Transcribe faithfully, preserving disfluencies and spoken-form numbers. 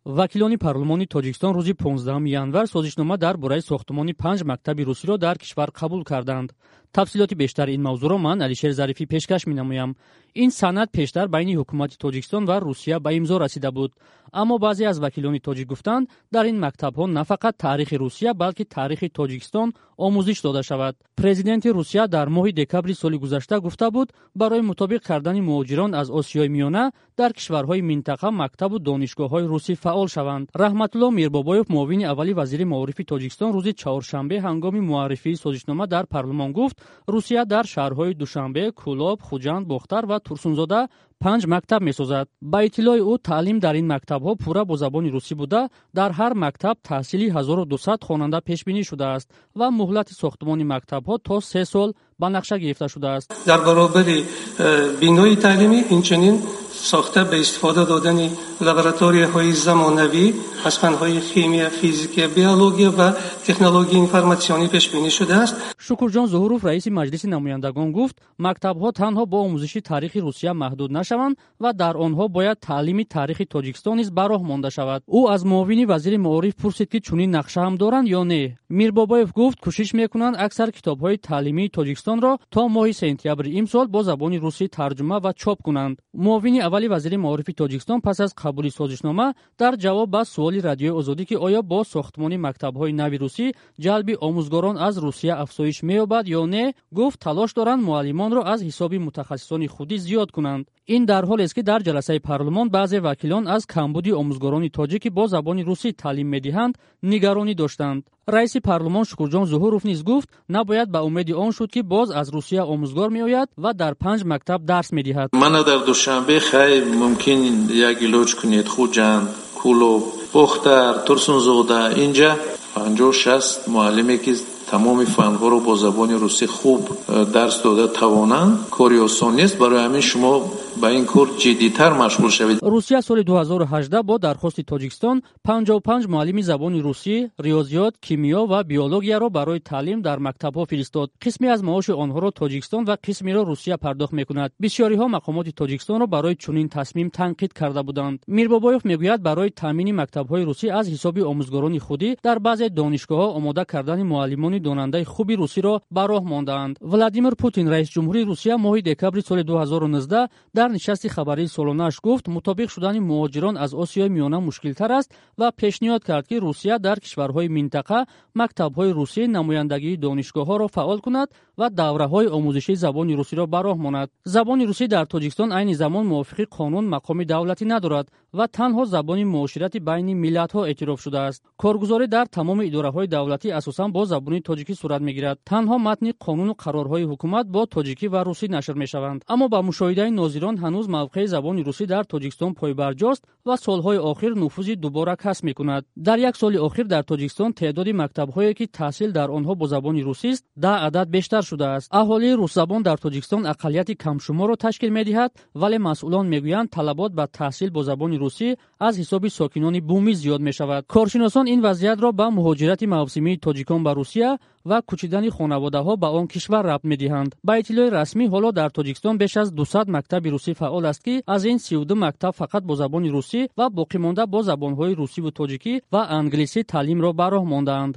Вакилони парлумони Тоҷикистон рӯзи понздаҳуми январ созишнома дар бораи сохтмони панҷ мактаби русиро дар кишвар қабул карданд. Тафсилоти бештари ин мавзӯъро ман, Алишер Зарифӣ, пешкаш менамоям. Ин санад пештар байни ҳукумати Тоҷикистон ва Русия ба имзо расида буд, аммо баъзе аз вакилони тоҷик гуфтанд, дар ин мактабҳо на фақат таърихи Русия, балки таърихи Тоҷикистон омӯзиш дода шавад. Президенти Русия дар моҳи декабри соли гузашта гуфта буд, барои мутобиқ кардани муҳоҷирон аз Осиёи Миёна дар кишварҳои минтақа мактабу донишгоҳҳои русӣ фаъол шаванд. Раҳматулло Мирбобоев, муовини аввали вазири маорифи Тоҷикистон, рӯзи чаҳоршанбе ҳангоми муаррифии созишнома дар парлумон гуфт, Русия дар шаҳрҳои Душанбе, Кӯлоб, Хуҷанд, Бохтар ва Турсунзода панҷ мактаб месозад. Ба иттилои ӯ, таълим дар ин мактабҳо пурра бо забони русӣ буда, дар ҳар мактаб таҳсили ҳазору дусад хонанда пешбинӣ шудааст ва муҳлати сохтмони мактабҳо то се сол ба нақша гирифта шудааст. Дар баробари э, бинои таълимӣ инчунин сохта ба истифода додани лабораторияҳои замонавӣ аз фанҳои химия, физика, биология ва технологияи информатсионӣ пешбинӣ шудааст. Шукурҷон Зуҳуров, раиси Маҷлиси намояндагон, гуфт, мактабҳо танҳо бо омӯзиши таърихи Русия маҳдуд нашаванд ва дар онҳо бояд таълими таърихи Тоҷикистон низ ба роҳ монда шавад. Ӯ аз муовини вазири маориф пурсид, ки чунин нақша ҳам доранд ё не. Мирбобоев гуфт, кӯшиш мекунанд аксар китобҳои таълимии Тоҷикистонро то моҳи сентябри имсол бо забони русӣ тарҷума ва чоп кунанд. Муовини аввали вазири маорифи Тоҷикистон пас аз қабули созишнома дар ҷавоб ба суоли Радиои Озодӣ, ки оё бо сохтмони мактабҳои нави русӣ ҷалби омӯзгорон аз Русия афзоиш меёбад ё не, гуфт, талош доранд муаллимонро аз ҳисоби мутахассисони худӣ зиёд кунанд. Ин дар ҳолест, ки дар ҷаласаи парлумон баъзе вакилон аз камбуди омӯзгорони тоҷик, ки бо забони русӣ таълим медиҳанд, нигаронӣ доштанд. Раиси парлумон Шукурҷон Зуҳуров низ гуфт, набояд ба умеди он шуд, ки боз аз Русия омӯзгор меояд ва дар панҷ мактаб дарс медиҳад. Мана дар Душанбе хай мумкин як илоҷ кунед, Хуҷанд, Кӯлоб, Бохтар, Турсунзода, инҷа панҷоҳ шаст муаллиме, ки тамоми фанҳоро бо забони русӣ хуб э, дарс дода тавонанд, кори осон нест. Барои ҳамин шумо ба ин кор ҷиддитар машғул шавед. Русия соли ду ҳазору ҳаждаҳ бо дархости Тоҷикистон панҷоҳу панҷ муаллими забони русӣ, риёзиёт, кимиё ва биологияро барои таълим дар мактабҳо фиристод. Қисме аз маоши онҳоро Тоҷикистон ва қисмеро Русия пардохт мекунад. Бисёриҳо мақомоти Тоҷикистонро барои чунин тасмим танқид карда буданд. Мирбобоев мегӯяд, барои таъмини мактабҳои русӣ аз ҳисоби омӯзгорони худӣ дар баъзе донишгоҳҳо омода кардани муаллимони донандаи хуби русиро ба роҳ мондаанд. Владимир Путин, раисҷумҳури Русия, моҳи декабри соли ду ҳазору нуздаҳ дар нишасти хабарии солонааш гуфт, мутобиқ шудани муҳоҷирон аз Осиёи Миёна мушкилтар аст ва пешниҳод кард, ки Русия дар кишварҳои минтақа мактабҳои русӣ, намояндагии донишгоҳҳоро фаъол кунад ва давраҳои омӯзишии забони русиро ба роҳ монад. Забони русӣ дар Тоҷикистон айни замон мувофиқи қонун мақоми давлатӣ надорад ва танҳо забони муоширати байни миллатҳо эътироф шудааст. Коргузорӣ дар тамоми идораҳои давлатӣ асосан бо забони тоҷикӣ сурат мегирад. Танҳо матни қонуну қарорҳои ҳукумат бо тоҷикӣ ва русӣ нашр мешаванд. Аммо ба мушоҳидаи нозирон, ҳанӯз мавқеи забони русӣ дар Тоҷикистон пойбарҷост ва солҳои охир нуфузи дубора касб мекунад. Дар як соли охир дар Тоҷикистон теъдоди мактабҳое, ки таҳсил дар онҳо бо забони русист, даҳ адад бештар шудааст. Аҳолии русзабон дар Тоҷикистон ақаллияти камшуморро ташкил медиҳад, вале масъулон мегӯянд, талабот ба таҳсил бо забони русӣ аз ҳисоби сокинони бумӣ зиёд мешавад. Коршиносон ин вазъиятро ба муҳоҷирати мавсимии тоҷикон ба Русия ва кӯчидани хонаводаҳо ба он кишвар рабт медиҳанд. Ба иттилои расмӣ, ҳоло дар Тоҷикистон беш аз дусад мактаби русӣ фаъол аст, ки аз ин сию ду мактаб фақат бо забони русӣ ва боқимонда бо забонҳои русиву тоҷикӣ ва англисӣ таълимро ба роҳ мондаанд.